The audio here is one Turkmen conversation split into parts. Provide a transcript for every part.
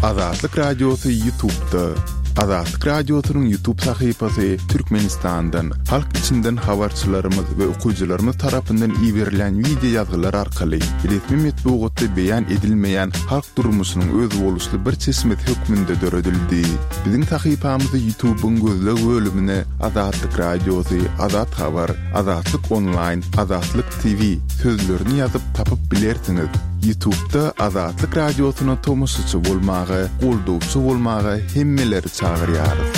Azatlyk Radiosy Ýutubda. Azatlyk Radiosynyň Ýutub sahypasy Türkmenistandan, halk içinden habarçylarymyz we okyjylarymyz tarapyndan iberilen wideo ýazgylar arkaly resmi metbugatda beýan edilmeýän halk durmuşynyň özboluşly bir çeşmesi hökmünde döredildi. Biziň sahypamyzy Ýutubyň gözleg bölümine Azatlyk Radiosy, Azat Habar, Azatlyk Onlaýn, Azatlyk TV sözlerini ýazyp tapyp bilersiňiz. Ýutubda Azatlyk Radiosyna tomaşaçy bolmaga, goldawçy bolmaga hemmeleri çagyrýarys.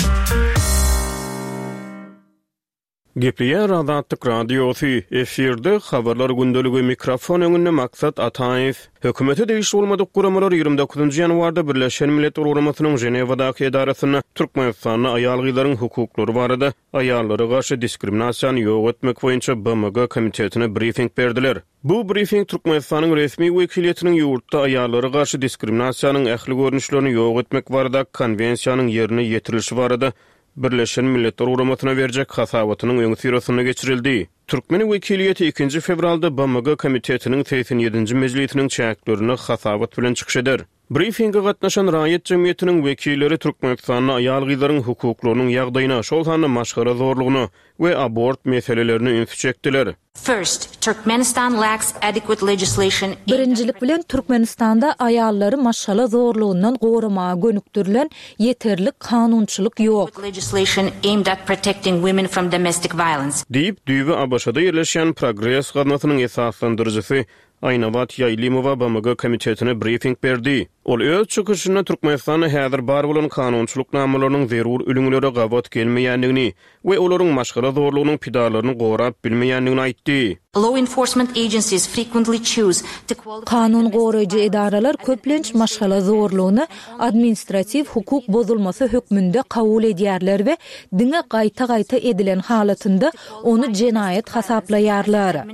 Gepleýär Azatlyk Radiosy, efirde Habarlar gündeligi, mikrofon öňünde Maksat Ataýew. Hökümete degişli bolmadyk guramalar 29 ýanwarda Birleşen Milletler Guramasynyň Ženewadaky edarasynda Türkmenistanda aýal-gyzlaryň hukuklary barada Aýallara garşy diskriminasiýany ýok etmek boýunça BMG komitetine brifing berdiler. Bu brifing Türkmenistanyň resmi wekiliýetiniň ýurtda aýallara garşy diskriminasiýanyň ähli görnüşlerini ýok etmek baradaky Konwensiýanyň ýerine ýetirilişi barada Birleşen Milletler Guramasyna berjek hasabatynyň öňüsyrasynda geçirildi. Türkmen wekiliýeti ikinji fewralda BMG komitetiniň 87-nji mejlisiniň çäklerinde hasabat bilen çykyş eder. Brifinge gatnaşan raýat jemgyýetiniň wekilleri Türkmenistanda aýal-gyzlaryň hukuklarynyň ýagdaýyna, şol sanda maşgala zorlugyna we abort meselelerine ünsi çekdiler. First, Turkmenistan lacks adequate legislation aimed at. Birinjilik bilen, Türkmenistanda aýallary maşgala zorlugyndan goramaga gönükdirilen ýeterlik kanunçylyk ýok. legislation aimed at protecting women from domestic violence. Diýip, düýbi ABŞ-da ýerleşýän Progres gaznasynyň esaslandyryjysy Aýnabat Ýaýlymowa BMG komitetine brifing berdi. Ol öz çykyşynda Türkmenistanda häzir bar bolan kanunçylyk namalarynyň zerur ülňülere gabat gelmeýändigini we olaryň maşgala zorlugynyň pidalaryny gorap bilmeýändigini aýtdy. Law enforcement agencies frequently choose to qualify Kanun goraýjy edaralar köplenç maşgala zorlugyny administratiw hukuk bozulmasy hökmünde kabul edýärler we diňe gaýta-gaýta edilen halatynda ony jenaýat hasaplaýarlar.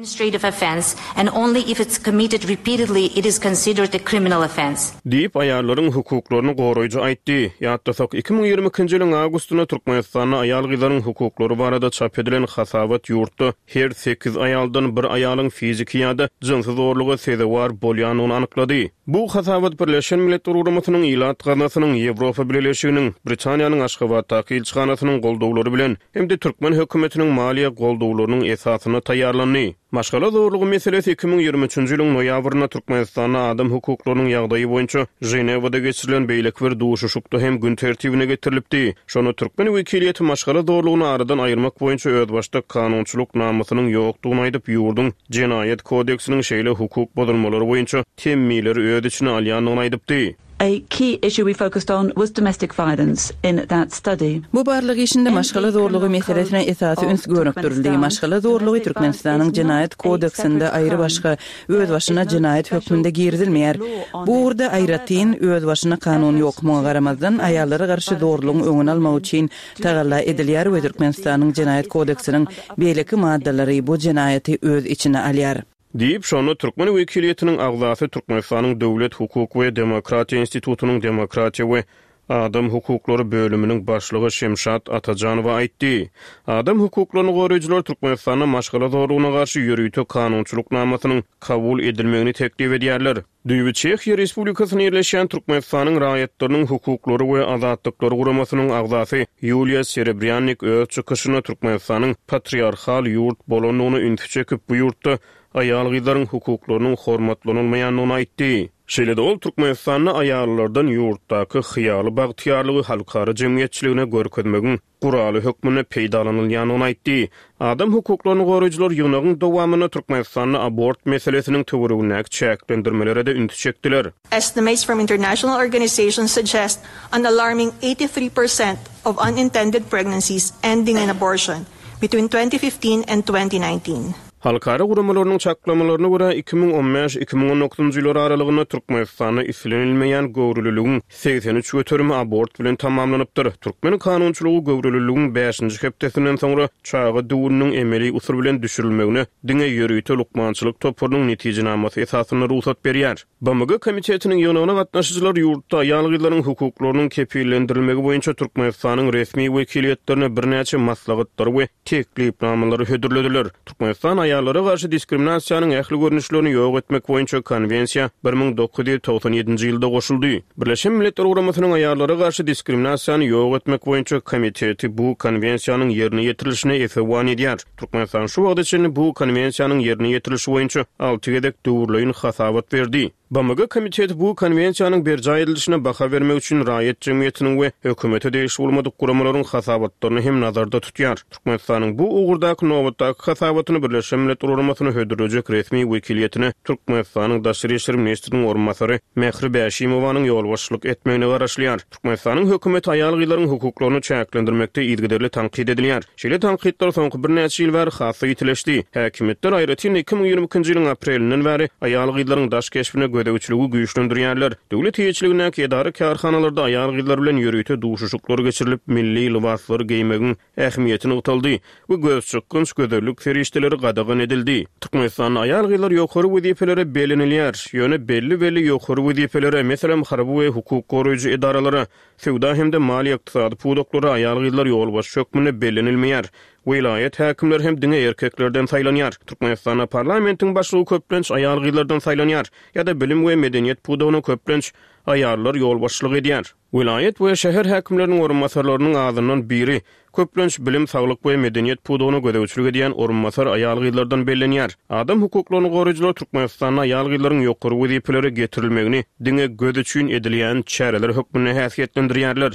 Diýip, aýallaryň hukuklaryny goraýjy aýtdy. Ýatlasak, 2022-nji ýylyň awgustynda Türkmenistanda aýal-gyzlaryň hukuklary barada çap edilen hasabat ýurtda her sekiz aýaldan bir aýalyň fiziki ýa-da jynsy zorluga sezewar bolýandygyny anyklady. Bu hasabat Birleşen Milletler Guramasynyň Ilat Gaznasynyň, Ýewropa Bileleşiginiň, Britaniýanyň Aşgabatdaky ilçihanasynyň goldawlary bilen hem-de türkmen hökümetiniň maliýe goldawlarynyň esasynda taýýarlandy. Maşgala zorlugy meselesi 2023-nji ýylyň noýabrynda Türkmenistanda adam hukuklarynyň ýagdaýy boýunça Ženewada geçirilen beýleki bir duşuşykda hem gün tertibine getirilipdi. Şonda türkmen wekiliýeti maşgala zorlugyny aradan aýyrmak boýunça özbaşdak kanunçylyk namasynyň ýokdugyny aýdyp, ýurduň Jenaýat kodeksiniň şeýle hukuk bozulmalary boýunça temmileri öz içine alýandygyny aýdypdy. A key issue we focused on was domestic violence in that study. Bu barlag işinde maşgala zorlugy meselesine esasy üns gönükdirildi. Maşgala zorlugy Türkmenistanyň Jenaýat kodeksinde aýrybaşga, özbaşyna jenaýat hökmünde girizilmeýär. Bu ugurda aýratyn, özbaşyna kanun ýok. Muňa garamazdan, aýallara garşy zorlugyň öňüni almak üçin tagalla edilýär we Türkmenistanyň Jenaýat kodeksiniň beýleki maddalary bu jenaýaty öz içine alýar. Diýip, şonda türkmen wekiliýetiniň agzasy Türkmenistanyň Döwlet, hukuk we demokratiýa institutynyň demokratiýa we adam hukuklary bölüminiň başlygy Şemşat Atajanowa aýtdy. Adam hukuklaryny goraýjylar Türkmenistanda maşgala zorlugyna garşy ýörite kanunçylyk namasynyň kabul edilmegini teklip edýärler. Düýbi Çehiýa Respublikasynda ýerleşýän Türkmenistanyň Raýatlarynyň hukuklary we azatlyklary guramasynyň agzasy Ýuliýa Serebrýannik öz çykyşynda Türkmenistanyň patriarhal ýurt bolandygyna ünsi çekip, bu ýurtda aýal-gyzlaryň hukuklarynyň hormatlanylmaýandygyny aýtdy. Şeýle-de ol Türkmenistanda aýallardan ýurtdaky hyýaly bagtyýarlygy halkara jemgyýetçiligine görkezmegiň guraly hökmünde peýdalanylýandygyny aýtdy. Adam hukuklaryny goraýjylar ýygnagyň dowamynda Türkmenistanda abort meselesiniň töweregindäki çäklendirmelere-de ünsi çekdiler. Estimates from international organizations suggest an alarming 83% of unintended pregnancies ending in abortion between 2015 and 2019. Halkara guramalarynyň çaklamalaryna görä, 2015, 2019-njy ýyllar aralygynda Türkmenistanda islenilmeýän göwreliligiň 83 göterimi abort bilen tamamlanypdyr. Türkmen kanunçylygy göwreliligiň bäşinji hepdesinden soňra çaga düwüniniň emeli usul bilen düşürilmegine diňe ýörite lukmançylyk toparynyň netijenamasy esasynda rugsat berýär. BMG Komitetiniň ýygnagyna gatnaşyjylar ýurtda aýal-gyzlaryň hukuklarynyň kepillendirilmegi boýunça Türkmenistanyň resmi wekiliýetlerine birnäçe maslahatlary we teklipnamalary hödürlediler. Türkmenistan aýal. Aýallara garşy diskriminasiýanyň ähli görnüşlerini ýok etmek boýunça Konwensiýa 1997-nji ýylda goşuldy. Birleşen Milletler Guramasynyň Aýallara garşy diskriminasiýany ýok etmek boýunça Komiteti bu Konwensiýanyň ýerine ýetirilişine esewan edýär. Türkmenistan şu wagta çenli bu Konwensiýanyň ýerine ýetirilişi boýunça alty gezek döwürleýin hasabat berdi. BMG Komiteti bu Konwensiýanyň berjaý edilişine baha bermek üçin raýat jemgyýetiniň we hökümete degişli bolmadyk guramalaryň hasabatlaryny hem nazarda tutýar. Türkmenistanyň bu ugurdaky nobatdaky hasabatyny Birleşen Milletler Guramasyna hödürlejek resmi wekiliýetine Türkmenistanyň Daşary işler ministriniň orunbasary Mähri Bäşimowanyň ýolbaşçylyk etmegine garaşylýar. Türkmenistanyň hökümeti aýal-gyzlaryň hukuklaryny çäklendirmekde yzygiderli tankyt edilýär. Şeýle tankytlar soňky birnäçe ýyl bäri has-da ýitileşdi. Häkimiýetler, aýratyn-da 2022-nji ýylyň aprelinden bäri aýal-gyzlaryň daş keşbine gözegçiligi güýçlendirýärler. Döwlet eýeçiligindäki edara-kärhanalarda aýal-gyzlar bilen ýörite duşuşyklar geçirilip, milli lybaslary geýmegiň ähmiýeti nygtaldy we gözçykgynç gözellik serişdeleri gadagan edildi. Türkmenistanda aýal-gyzlar ýokary wezipelere bellenilýär, ýöne belli-belli ýokary wezipelere, meselem, harby we hukuk goraýjy edaralara, söwda hem-de maliýe-ykdysady pudaklara aýal-gyzlar ýolbaşçy hökmünde bellenilmeýär. Welaýat häkimleri hem diňe erkeklerden saýlanýar. Türkmenistanda parlamentiň başlygy köplenç aýal-gyzlardan saýlanýar ýa-da bilim we medeniýet pudagyna köplenç aýallar ýolbaşçylyk edýär. Welaýat we şäher häkimleriniň orunbasarlarynyň azyndan biri, köplenç, bilim, saglyk we medeniýet pudagyna gözegçilik edýän orunbasar aýal-gyzlardan bellenýär. Adam hukuklaryny goraýjylar Türkmenistanda aýal-gyzlaryň ýokary wezipelere getirilmegini diňe göz üçin edilýän çäreler hökmünde häsiýetlendirýärler.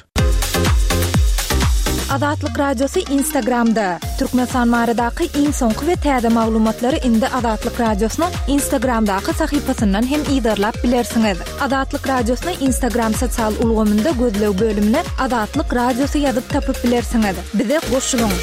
Azatlyk Radiosy Instagramda, Türkmenistan baradaky iň soňky we täze maglumatlary indi Azatlyk Radiosynyň Instagramdaky sahypasyndan hem yzarlap bilersiňiz. Azatlyk Radiosyny Instagram sosial ulgamynda gözleg bölümine Azatlyk Radiosy ýazyp tapyp bilersiňiz. Bize goşulyň!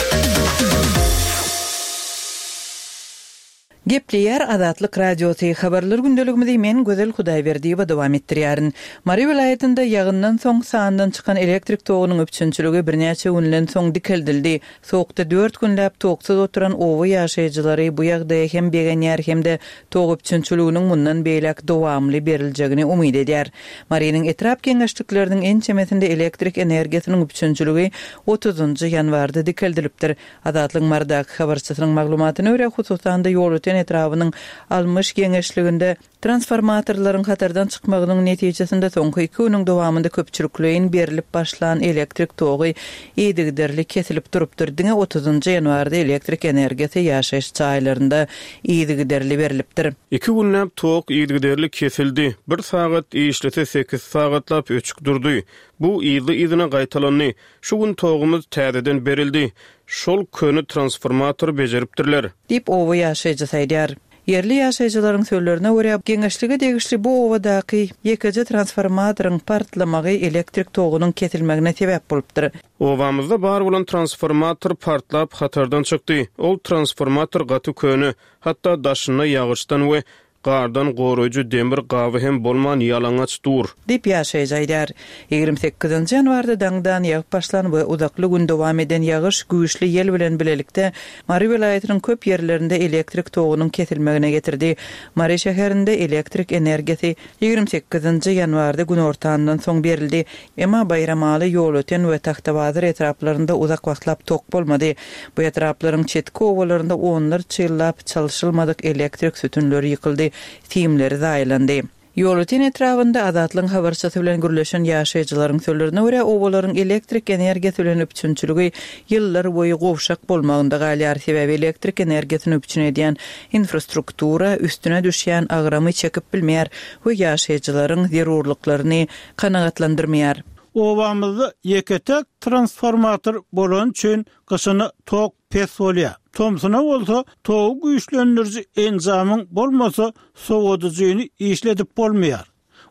Gepleýär Azatlyk Radiosy, Habarlar gündeligimizi men Gözel Hudaýberdiýewa dowam etdirýärin. Mary welaýatynda ýagyndan soň sandan çykan elektrik togunyň üpjünçiligi birnäçe günden soň dikeldildi. Sowukda dört günläp toksuz oturan oba ýaşaýjylary bu ýagdaýa hem begenýär hem-de tok üpjünçiliginiň mundan beýläk dowamly beriljegini umyt edýär. Marynyň etrap geňeşlikleriniň ençemesinde elektrik energiýasynyň üpjünçiligi otuzynjy ýanwarda dikeldilipdir. Azatlygyň Marydaky habarçysynyň maglumatyna görä, hususan-da Ýolöten etrabynyň Almyş geňeşliginde Transformatorlaryň hatardan çykmagynyň netijesinde soňky iki günüň dowamynda köpçülikleýin berlip başlan elektrik togy yzygiderli kesilip durupdyr. Diňe otuzynjy ýanwarda elektrik energiýasy ýaşaýyş jaýlarynda yzygiderli berlipdir. Iki günläp tok yzygiderli kesildi. Bir sagat işlese sekiz sagatlap öçük durdy. Bu yzly-yzyna gaýtalandy. Şu gün togumyz täzeden berildi. Şol köne transformatory bejeripdirler. Diýip, oba ýaşaýjysy aýdýar. Ýerli ýaşaýjylaryň sözlerine görä, geňeşlige degişli bu obadaky ýekeje transformatoryň partlamagy elektrik togunyň kesilmegine sebäp bolupdyr. Obamyzda bar bolan transformator partlap hatardan çykdy. Ol transformator gaty köne, hatda daşynda ýagyşdan we gardan goraýjy demir gaby hem bolman ýalaňaç dur. Diýip, ýaşaýjy aýdýar. 28 nji ýanwarda daňdan ýagyp başlan we uzakly gün dowam eden ýagyş güýçli ýel bilen bilelikde Mary welaýatynyň köp ýerlerinde elektrik togunyň kesilmegine getirdi. Mary şäherinde elektrik energiýasy 28 nji ýanwarda günortandan soň berildi. Emma Baýramaly, Ýolöten we Tagtabazar etraplarynda uzak wagtlap tok bolmady. Bu etraplaryň çetki obalarynda onlarça ýyllap çalşylmadyk elektrik sütünleri ýykyldy, simleri zaýalandy. Ýolöten etrabynda Azatlygyň habarçysy bilen gürleşen ýaşaýjylaryň sözlerine görä, obalaryň elektrik energiýasy bilen üpjünçiligi ýyllar boýy gowşak bolmagynda galýar, sebäbi elektrik energiýasyny üpjün edýän infrastruktura üstüne düşýän agramy çekip bilmeýär we ýaşaýjylaryň zerurlyklaryny kanagatlandyrmaýar. Obamyzda ýeke-täk transformator bolany üçin gyşyna tok pes bolýar. Tomsuna bolsa togy güýçlendiriji enjamyň bolmasa sowadyjyny işledip bolmaýar.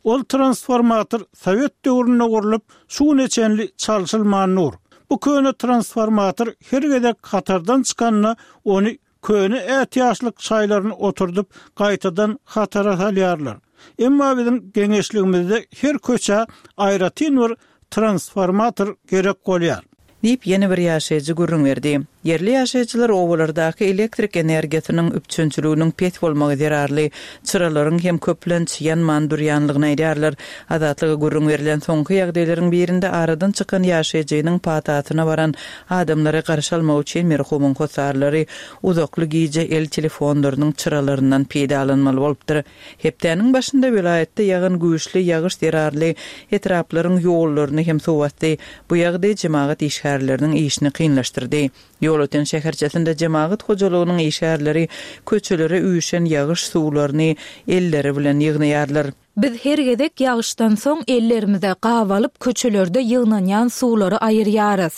Ol transformator sowet döwründe gurlup, şu güne çenli çalşylman dur. Bu köne transformator her gezek hatardan çykanda ony köne ätiýaçlyk şaýlaryny oturdyp gaýtadan hatara salýarlar. Emma biziň geňeşligimizde her köçä aýratyn bir transformator gerek bolýar. Diýip, ýene bir ýaşaýjy gürrüň berdi. Ýerli ýaşaýjylar obalardaky elektrik energiýasynyň üpjünçiliginiň pes bolmagy zerarly çyralaryň hem köplenç ýanman durýanlygyny aýdýarlar. Azatlyga gürrüň berlen soňky ýagdaýlaryň birinde aradan çykan ýaşaýjynyň patasyna baran adamlary garşy almak üçin merhumyň hossarlary uzakly gije el telefonlarynyň çyralaryndan peýdalanmaly bolupdyr. Hepdäniň başynda welaýatda ýagan güýçli ýagyş zerarly etraplaryň ýollaryny hem suw basdy. Bu ýagdaý jemagat işgärleriniň işini kynlaşdyrdy. Ýolöten şäherçesinde jemagat hojalygynyň işgärleri köçelere üýşen ýagyş suwlaryny elleri bilen ýygnaýarlar. Biz her gezek ýagyşdan soň ellerimize gap alyp köçelerde ýygnanýan suwlary aýyrýarys.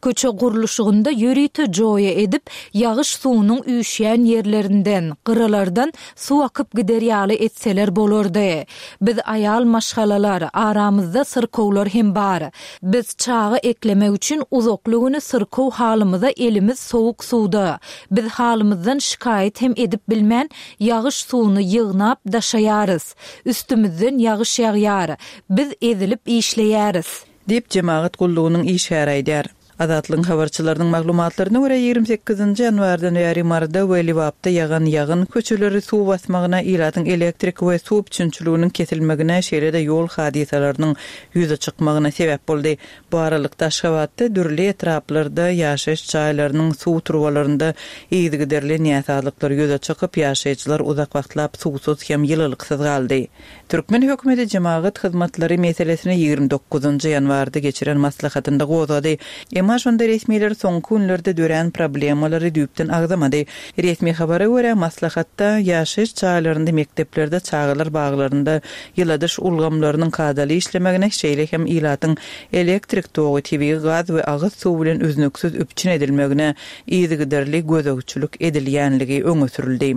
Köçe gurluşygynda ýörite joýa edip, ýagyş suwunyň üýşýän ýerlerinden, gyralardan suw akyp gider ýaly etseler bolardy. Biz aýal maşgalalar, aramyzda syrkawlar hem bar. Biz çaga eklemek üçin uzakly güni syrkaw halymyza elimiz sowuk suwda. Biz halymyzdan şikaýat hem edip bilmän, ýagyş suwuny ýygnap, daşaýarys. Üstümizden ýagyş ýagýar. Biz ezilip işleýäris. Diýip, jemagat gullugynyň işgäri aýdýar. Azatlygyň habarçylarynyň maglumatlaryna görä, 28 nji ýanwardan bäri Maryda we Lebapda ýagan ýagyn köçeleri suw basmagyna, ilatyň elektrik we suw üpjünçiliginiň kesilmegine, şeýle-de ýol hadysalarynyň ýüze çykmagyna sebäp boldy. Bu aralykda, Aşgabatda dürli etraplarda ýaşaýyş jaýlarynyň suw turbalarynda yzygiderli näsazlyklar ýüze çykyp, ýaşaýjylar uzak wagtlap suwsuz hem ýylylyksyz galdy. Türkmen hökümeti jemagat hyzmatlary meselesini 29 nji ýanwarda geçiren maslahatynda gozgady. Emma şonda resmiler soňky günlerde dörän problemalary düýpden agzamady. Resmi habara görä, maslahatda ýaşaýyş jaýlarynda, mekdeplerde, çagalar baglarynda ýyladyş ulgamlarynyň kadaly işlemegine, şeýle hem ilatyň elektrik togy, tebigy gaz we agyz suwy bilen üznüksiz üpjün edilmegine yzygiderli gözegçilik edilýänligi öňe sürüldi.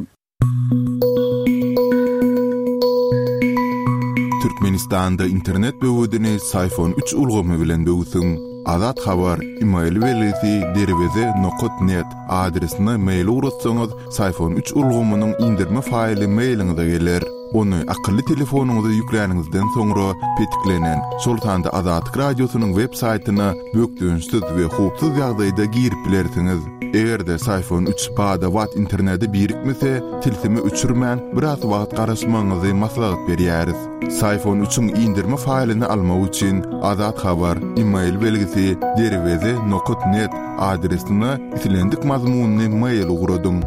Türkmenistanda internet böwedini Syfon üç ulgamy bilen böwsüň. Azat Habar, email belgisi derweze nokat net adresine mail ugratsaňyz, Syfon üç ulgamynyň indirme faýly mailiňize geler. Ony akylly telefonyňyza ýükläniňizden soňra petiklenen, şol sanda Azatlyk Radiosynyň web saýtyna bökdençsiz we howpsuz ýagdaýda girip bilersiňiz. Eger-de Syfon üç bada-bat internete birikmese, tilsimi öçürmän, biraz wagt garaşmagyňyzy maslahat berýäris. Syfon üçiň indirme faýlyny almak üçin Azat Habar, email belgisi derweze nokat net adresine islendik mazmunly mail ugradyň.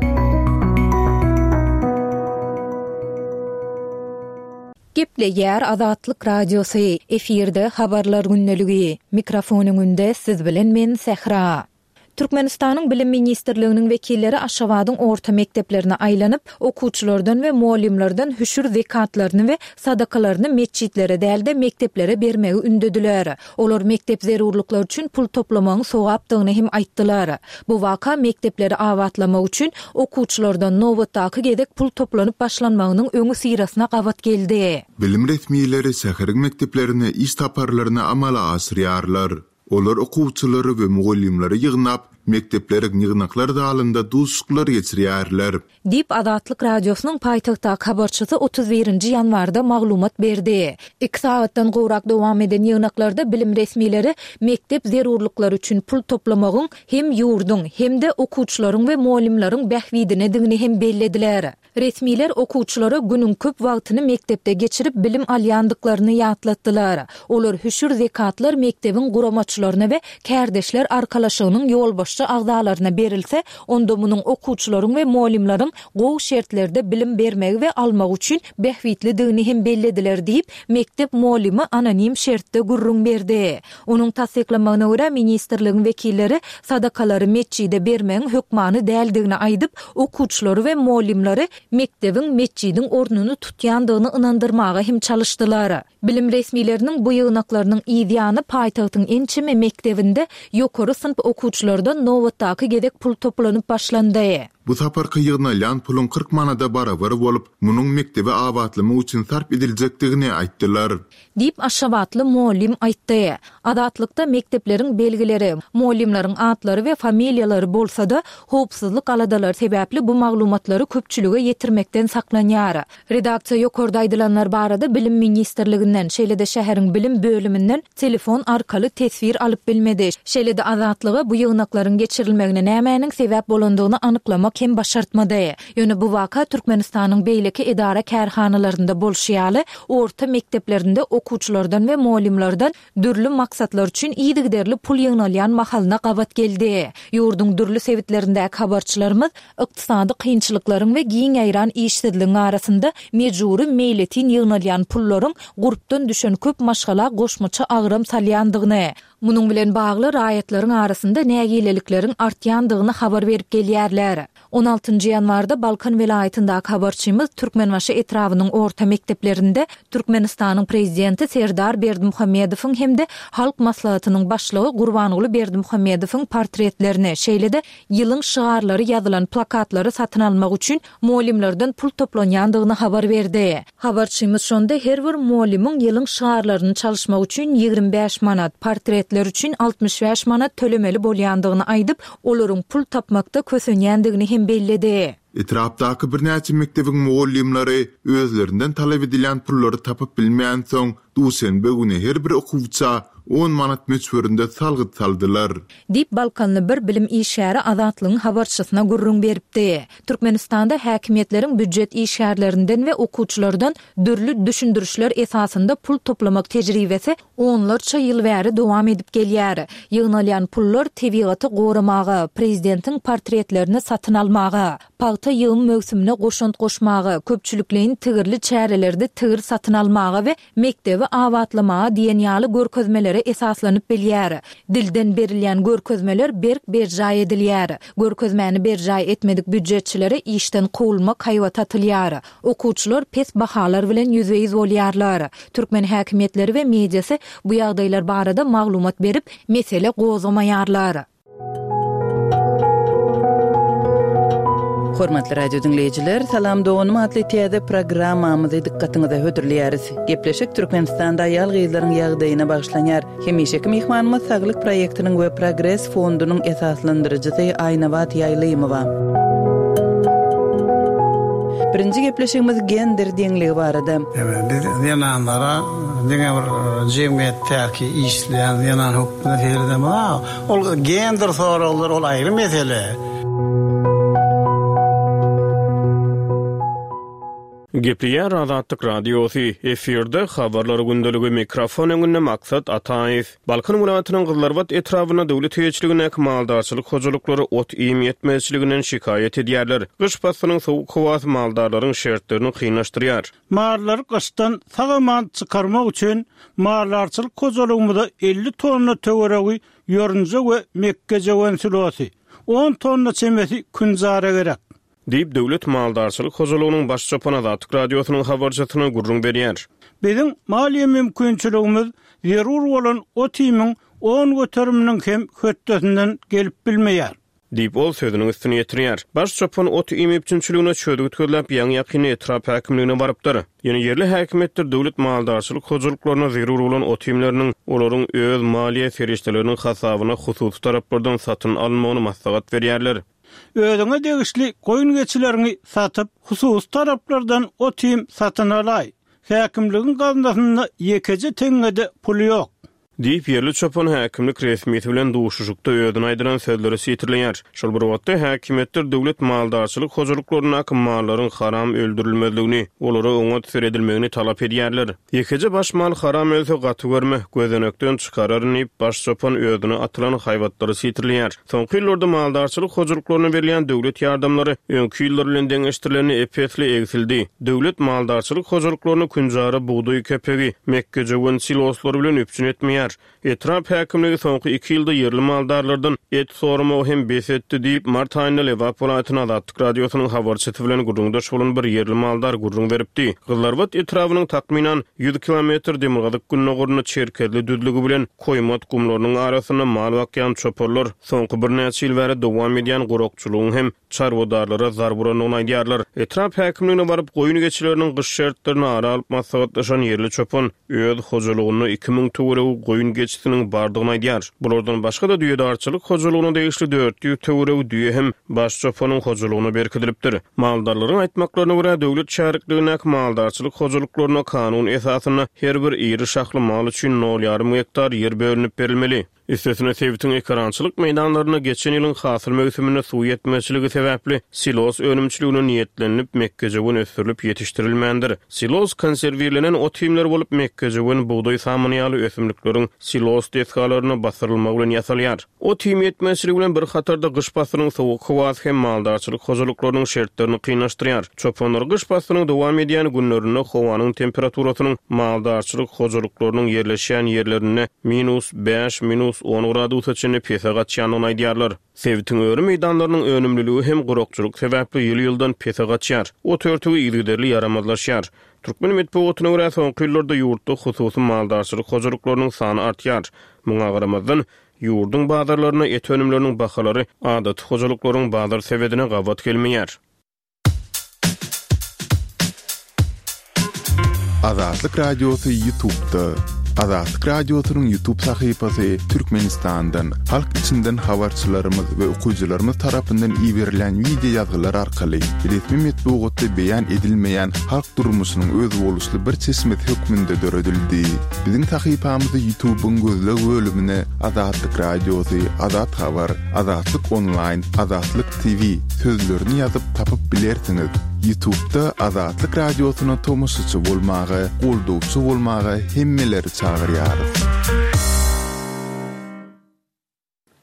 Gepleýär Azatlyk Radiosy, efirde Habarlar gündeligi. Mikrofon öňünde siz bilen men Sähra. Türkmenistanyň Bilim ministrliginiň wekilleri Aşgabadyň orta mekdeplerine aýlanyp, okuwçylardan we mugallymlardan hüşür zekatlaryny we sadakalaryny metjitlere däl-de, mekdeplere bermegi ündediler. Olar mekdep zerurlyklary üçin pul toplamagyň sogapdygyny hem aýtdylar. Bu waka mekdepleri abatlamak üçin okuwçylardan nobatdaky gezek pul toplanyp başlanmagynyň öňüsyrasyna gabat geldi. Bilim resmileri şäheriň mekdeplerine iş saparlaryny amala aşyrýarlar. Olar okuwçylary we mugallymlary ýygnap, mekdepleriň ýygnaklar zalynda duşuşyklar geçirýärler. Diýip, Azatlyk Radiosynyň paýtagtdaky habarçysy 31 nji ýanwarda maglumat berdi. Iki sagatdan gowrak dowam eden ýygnaklarda bilim resmileri mekdep zerurlyklary üçin pul toplamagyň hem ýurduň, hem-de okuwçylaryň we mugallymlaryň bähbidinedigini hem bellediler. Resmiler okuwçylara günüň köp wagtyny mekdepde geçirip bilim alýandyklaryny ýatlatdylar. Olar hüşür zekatlar mekdebiň guramaçylaryna we kärdeşler arkalaşygynyň ýolbaşçy agzalaryna berilse, onda munuň okuwçylaryň we mugallymlaryň gowy şertlerde bilim bermegi we almagy üçin bähbitlidigini hem bellediler diýip, mekdep mugallymy anonim şertde gürrüň berdi. Onuň tassyklamagyna görä, ministrligiň wekilleri sadakalary metjide bermegiň hökmany däldigini aýdyp, okuwçylary we mugallymlary mekdebiň metjidiň ornuny tutýandygyny ynandyrmaga hem çalyşdylar. Bilim resmileriniň bu ýygnaklarynyň yz ýany paýtagtyň ençeme mekdebinde ýokary synp okuwçylardan nobatdaky gezek pul toplanyp başlandy. Bu saparky ýygnalýan puluň 40 manada barabar bolup, munuň mekdebi abatlamak üçin sarp ediljekdigini aýtdylar. Diýip, aşgabatly mugallym aýtdy. Azatlykda mekdepleriň belgileri, mugallymlaryň atlary we familiýalary bolsa-da, howpsuzlyk aladalary sebäpli bu maglumatlary köpçülige ýetirmekden saklanýar. Redaksiýa ýokarda aýdylanlar barada Bilim ministrliginden, şeýle-de şäheriň bilim bölüminden telefon arkaly teswir alyp bilmedi. Şeýle-de Azatlyga bu ýygnaklaryň geçirilmegine nämäniň sebäp bolandygyny anyklamak hem başartmady. Ýöne bu waka Türkmenistanyň beýleki edara-kärhanalarynda bolşy ýaly, orta mekdeplerinde okuwçylardan we mugallymlardan dürli maksatlar üçin yzygiderli pul ýygnalýan mahalyna gabat geldi. Ýurduň dürli sebitlerindäki habarçylarymyz ykdysady kynçylyklaryň we giň ýaýran işsizligiň arasynda mejbury meýletin ýygnalýan pullaryň gurpdan düşen köp maşgala goşmaça agram salýandygyny, munuň bilen bagly raýatlaryň arasynda nägilelikleriň artýandygyny habar berip gelýärler. On altynjy ýanwarda Balkan welaýatyndaky habarçymyz Türkmenbaşy etrabynyň orta mekdeplerinde Türkmenistanyň Prezidenti Serdar Berdimuhamedowyň hem-de Halk Maslahatynyň Başlygy Gurbanguly Berdimuhamedowyň portretlerini, şeýle-de ýylyň şygarlary ýazylan plakatlary satyn almak üçin mugallymlardan pul toplanýandygyny habar berdi. Habarçymyz şonda her bir mugallymyň ýylyň şygarlaryny çalyşmak üçin 25 manat, portretler üçin 65 manat tölemeli bolýandygyny aýdyp, olaryň pul tapmakda kösenýändigini hem belledi. Etrapdaky birnäçe mekdebiň mugallymlary özlerinden talap edilýän pullary tapyp bilmänsoň, duşenbe güni her bir okuwça on manat möçberinde salgyt saldylar. Diýip, balkanly bir bilim işgäri Azatlygyň habarçysyna gürrüň beripdi. Türkmenistanda häkimiýetleriň býujet işgärlerinden we okuwçylardan dürli düşündirişler esasynda pul toplamak tejribesi onlarça ýyl bäri dowam edip gelýär. Ýygnalýan pullar tebigaty goramaga, prezidentiň portretlerini satyn almaga, pagta ýygym möwsümine goşant goşmaga, köpçülikleýin tigirli çärelerde tigir satyn almaga we mekdebi abatlamaga diýen ýaly görkezmelere esaslanyp bilýär. Dilden berilýän görkezmeler berk berjaý edilýär. Görkezmäni berjaý etmedik býujetçilere işden kowulmak haýbaty atylýar. Okuwçylar pes bahalar bilen ýüzbe-ýüz bolýarlar. Türkmen häkimiýetleri we mediasy bu ýagdaýlar barada maglumat berip, mesele gozgamaýarlar. Hormatly radio diňleýjiler, Salam doganym atly täze programmamyzy dykgatyňyza hödürleýäris. Gepleşik Türkmenistanda aýal-gyzlaryň ýagdaýyna bagyşlanýar. Hemişeki myhmanymyz Saglyk proýektiniň we Progres fondunyň esaslandyryjysy Aýnabat Ýaýlymowa. Birinji gepleşigimiz gender deňligi barada. Biz zenanlara diňe bir jemgyýetdäki işleýän zenan hökmünde seredemok. Ol gender soraglary ol aýry mesele. Gepleýär Azatlyk Radiosy, efirde Habarlar gündeligi, mikrofon öňünde Maksat Ataýew. Balkan welaýatynyň Gyzylarbat etrabynda döwlet eýeçiligindäki maldarçylyk hojalyklary ot-iým ýetmezçiliginden şikaýat edýärler. Gyş paslynyň sowuk howasy maldarlaryň şertlerini kynlaşdyrýar. Mallary gyşdan sag-aman çykarmak üçin maldarçylyk hojalygymyza 50 tonna töweregi ýorunja we mekgejöwen silosy, on tonna çemesi künjara gerek. Diýip, döwlet maldarçylyk hojalygynyň baş çopany Azatlyk Radiosynyň habarçysyna gürrüň berýär. Biziň maliýe mümkinçiligimiz zerur bolan ot-iýmiň on göteriminiň hem hötdesinden gelip bilmeýär. Diýip, ol sözüniň üstüni ýetirýär. Baş çopan ot-iým üpjünçiligine çözgüt gözläp, ýaňy-ýakynda etrap häkimligine barypdyr. Ýöne ýerli häkimiýetler döwlet maldarçylyk hojalyklaryna zerur bolan ot-iýmleriniň olaryň öz maliýe serişdeleriniň hasabyna hususy taraplardan satyn alynmagyny maslahat berýärler. Özüňe degişli goýun-geçileriňi satyp, hususy taraplardan ot-iým satyn alaý. Häkimligiň gaznasynda ýekeje teňňe-de pul ýok. Diýip, ýerli çopan häkimlik resmisi bilen duşuşykda özüne aýdylan sözleri sitirleýär. Şol bir wagtda, häkimiýetler döwlet maldarçylyk hojalyklaryndaky mallaryň haram öldürilmezligini, olara oňat seredilmegini talap edýärler. Ýekeje baş mal haram ölse, gaty görme, gözenekden çykararyn diýip, baş çopan özüne atylan haýbatlary sitirleýär. Soňky ýyllarda maldarçylyk hojalyklaryna berilýän döwlet ýardamlary öňki ýyllar bilen deňeşdirilende ep-esli egsildi. Döwlet maldarçylyk hojalyklaryny künjara bugdaý kepegi, mekgejöwen siloslary bilen üpjün etmeýär. edilmeýär. Etrap häkimligi soňky iki ýylda ýerli maldarlardan et soramagy hem bes etdi diýip, mart aýynda Lebap welaýatynda Azatlyk Radiosynyň habarçysy bilen gürrüňdeş bolan bir ýerli maldar gürrüň beripdi. Gyzylarbat etrabynyň takmynan ýüz kilometr demirgazyk-gündogarynda Çerkezli düzlügi bilen Koýmat gumlarynyň arasynda mal bakýan çopanlar soňky birnäçe ýyl bäri dowam edýän gurakçylygyň hem çarwadarlara zarb urandygyny aýdýarlar. Etrap häkimligine baryp, goýun-geçileriniň gyş şertlerini ara alyp maslahatlaşan ýerli çopan öz hojalygynda 2000 töweregi goýun-geçisiniň bardygyny aýdýar. Bulardan başga-da düýedarçylyk hojalygyna degişli 400 töweregi düýe hem baş çopanyň hojalygyna berkidilipdir. Maldarlaryň aýtmaklaryna görä, döwlet şärikligindäki maldarçylyk hojalyklaryna kanun esasynda her bir iri şahly mal üçin nol ýarym gektar ýer bölünip berilmeli. Üstesine, sebitiň ekerançylyk meýdanlarynda geçen ýylyň hasyl möwsüminde suw ýetmezçiligi sebäpli silos önümçiligine niýetlenilip mekgejöwen ösdürilip ýetişdirilmändir. Silos konserwirlenen ot-iýmler bolup, mekgejöwen, bugdaý samany ýaly ösümlikleriň silos desgalaryna basyrylmagy bilen ýasalýar. Ot-iým ýetmezçiligi bilen bir hatarda gyş paslynyň sowuk howasy hem maldarçylyk hojalyklarynyň şertlerini kynlaşdyrýar. Çopanlar gyş paslynyň dowam edýän günlerinde howanyň temperaturasynyň maldarçylyk hojalyklarynyň ýerleşýän ýerlerinde minus bäş, minus on gradusa çenli pese gaçýandygyny aýdýarlar. Sebitiň öri meýdanlarynyň önümliligi hem gurakçylyk sebäpli ýyl-ýyldan pese gaçýar. Ot örtügi yzygiderli ýaramazlaşýar. Türkmen metbugatyna görä, soňky ýyllarda ýurtda hususy maldarçylyk hojalyklarynyň sany artýar. Muňa garamazdan, ýurduň bazarlarynda et önümleriniň bahalary adaty hojalyklaryň bazar sebedine gabat gelmeýär. Azatlyk Radiosy Ýutubda. Azatlyk Radiosynyň Ýutub sahypasy Türkmenistandan, halk içinden habarçylarymyz we okyjylarymyz tarapyndan iberilen wideo ýazgylar arkaly resmi metbugatda beýan edilmeýän halk durmuşynyň özboluşly bir çeşmesi hökmünde döredildi. Biziň sahypamyzy Ýutubyň gözleg bölümine Azatlyk Radiosy, Azat Habar, Azatlyk Onlaýn, Azatlyk TV sözlerini ýazyp tapyp bilersiňiz. Ýutubda Azatlyk Radiosyna tomaşaçy bolmaga, goldawçy bolmaga hemmeleri çagyrýarys.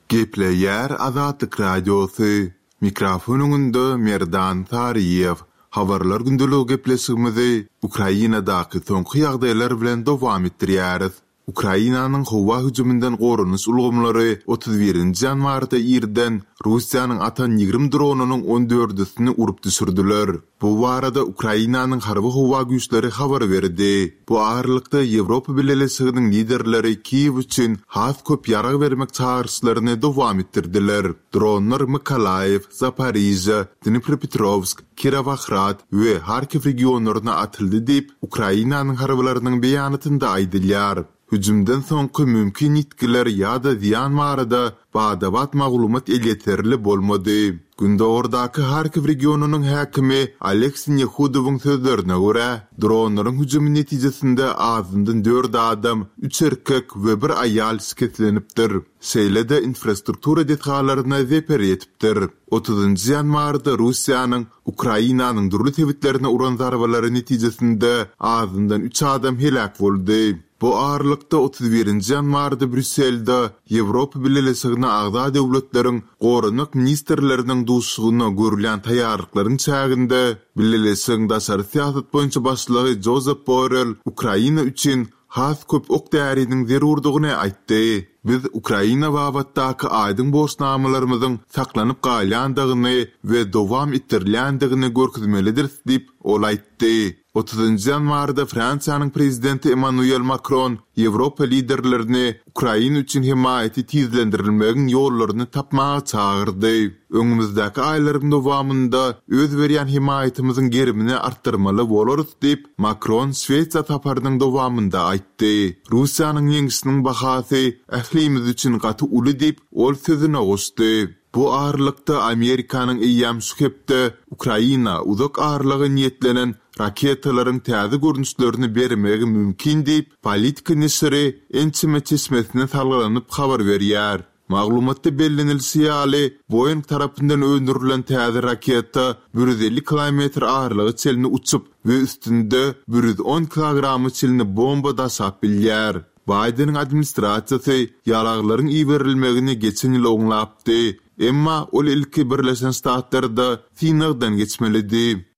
Gepleýär Azatlyk Radiosy, Mikrofon öňünde Merdan Saryýew. Habarlar gündeligi gepleşigimizi Ukrainadaky soňky ýagdaýlar bilen dowam etdirýäris. Ukrainanyň howa hüjüminden goranyş ulgamlary 31 nji ýanwarda irden Russiýanyň atan 20 dronynyň on dördüsini urup düşürdiler. Bu barada Ukrainanyň Harby-howa güýçleri habar berdi. Bu aralykda, Ýewropa Bileleşiginiň liderleri Kiýew üçin has köp ýarag bermek çagyryşlaryny dowam etdirdiler. Dronlar Mykolaýiw, Zaporižýa, Dnipropetrowsk, Kirowohrad we Harkiw regionlaryna atyldy diýip, Ukrainanyň harbylarynyň beýanatynda aýdylýar. Hüjümden soňky mümkin ýitgiler ýa-da zyýan barada bada-bat maglumat elýeterli bolmady. Gündogardaky Harkiw regionynyň häkimi Oleg Sinehudowyň sözlerine görä, dronlaryň hüjümi netijesinde azyndan dört adam, üç erkek we bir aýal şikeslenipdir. Şeýle-de infrastruktura desgalaryna zeper ýetipdir. Otuzynjy ýanwarda Russiýanyň Ukrainanyň dürli sebitlerine uran zarbalary netijesinde azyndan üç adam heläk boldy. Bu aralykda, 31 nji ýanwarda Brýusselde Ýewropa Bileleşigine agza döwletleriň goranmak ministrleriniň duşuşygyna görülýän taýýarlyklaryň çäginde Bileleşigiň daşary syýasat boýunça başlygy Jozep Borrell Ukraina üçin has köp ok-däriniň zerurdygyny aýtdy. Biz Ukraina babatdaky aýdyň borçnamalarymyzyň saklanyp galýandygyny we dowam etdirilýändigini görkezmelidiris diýip, ol aýtdy. Otuzynjy ýanwarda Fransiýanyň prezidenti Emmanuel Makron Ýewropa liderlerini Ukraina üçin hemaýaty tizlendirilmegiň ýollaryny tapmaga çagyrdy. Öňümizdäki aýlaryň dowamynda öz berýän hemaýatymyzyň gerimini artdyrmaly bolarys diýip, Makron Şwesiýa saparynyň dowamynda aýtdy. Russiýanyň ýeňşiniň bahasy ählimiz üçin gaty uly diýip, ol sözüne goşdy. Bu aralykda, Amerikanyň eýýäm şu hepde Ukraina uzak aralyga niýetlenen raketalaryň täze görnüşlerini bermegi mümkin diýip, Politico neşiri ençeme çeşmesine salgylanyp habar berýär. Maglumatda bellenilişi ýaly, Boeing tarapyndan öndürilen täze raketa 150 kilometr aralyga çenli uçup we üstünde 110 kilograma çenli bomba daşap bilýär. Baýdeniň administrasiýasy ýaraglaryň iberilmegini geçen ýyl oňlapdy, emma ol ilki Birleşen Ştatlarda synagdan geçmelidi.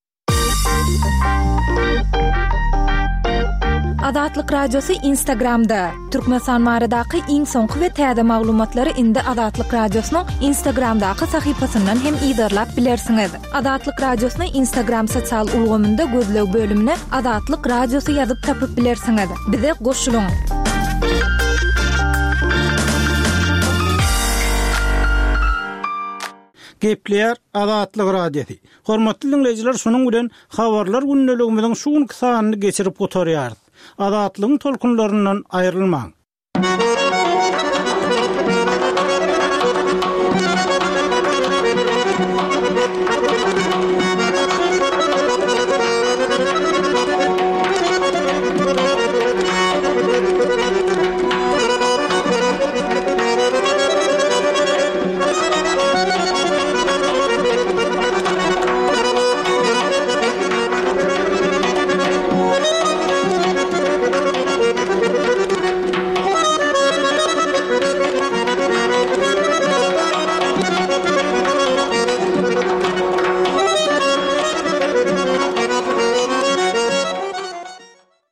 Azatlyk Radiosy Instagramda! Türkmenistan baradaky iň soňky we täze maglumatlary indi Azatlyk Radiosynyň Instagramdaky sahypasyndan hem yzarlap bilersiňiz. Azatlyk Radiosyny Instagram sosial ulgamynda gözleg bölümine Azatlyk Radiosy ýazyp tapyp bilersiňiz. Bize goşulyň! Gepleýär Azatlyk Radiosy. Hormatly diňleýjiler şunuň bilen Habarlar gündeligimiziň şu günki sanyny geçirip gutarýarys. Azatlygyň tolkunlaryndan aýrylmaň.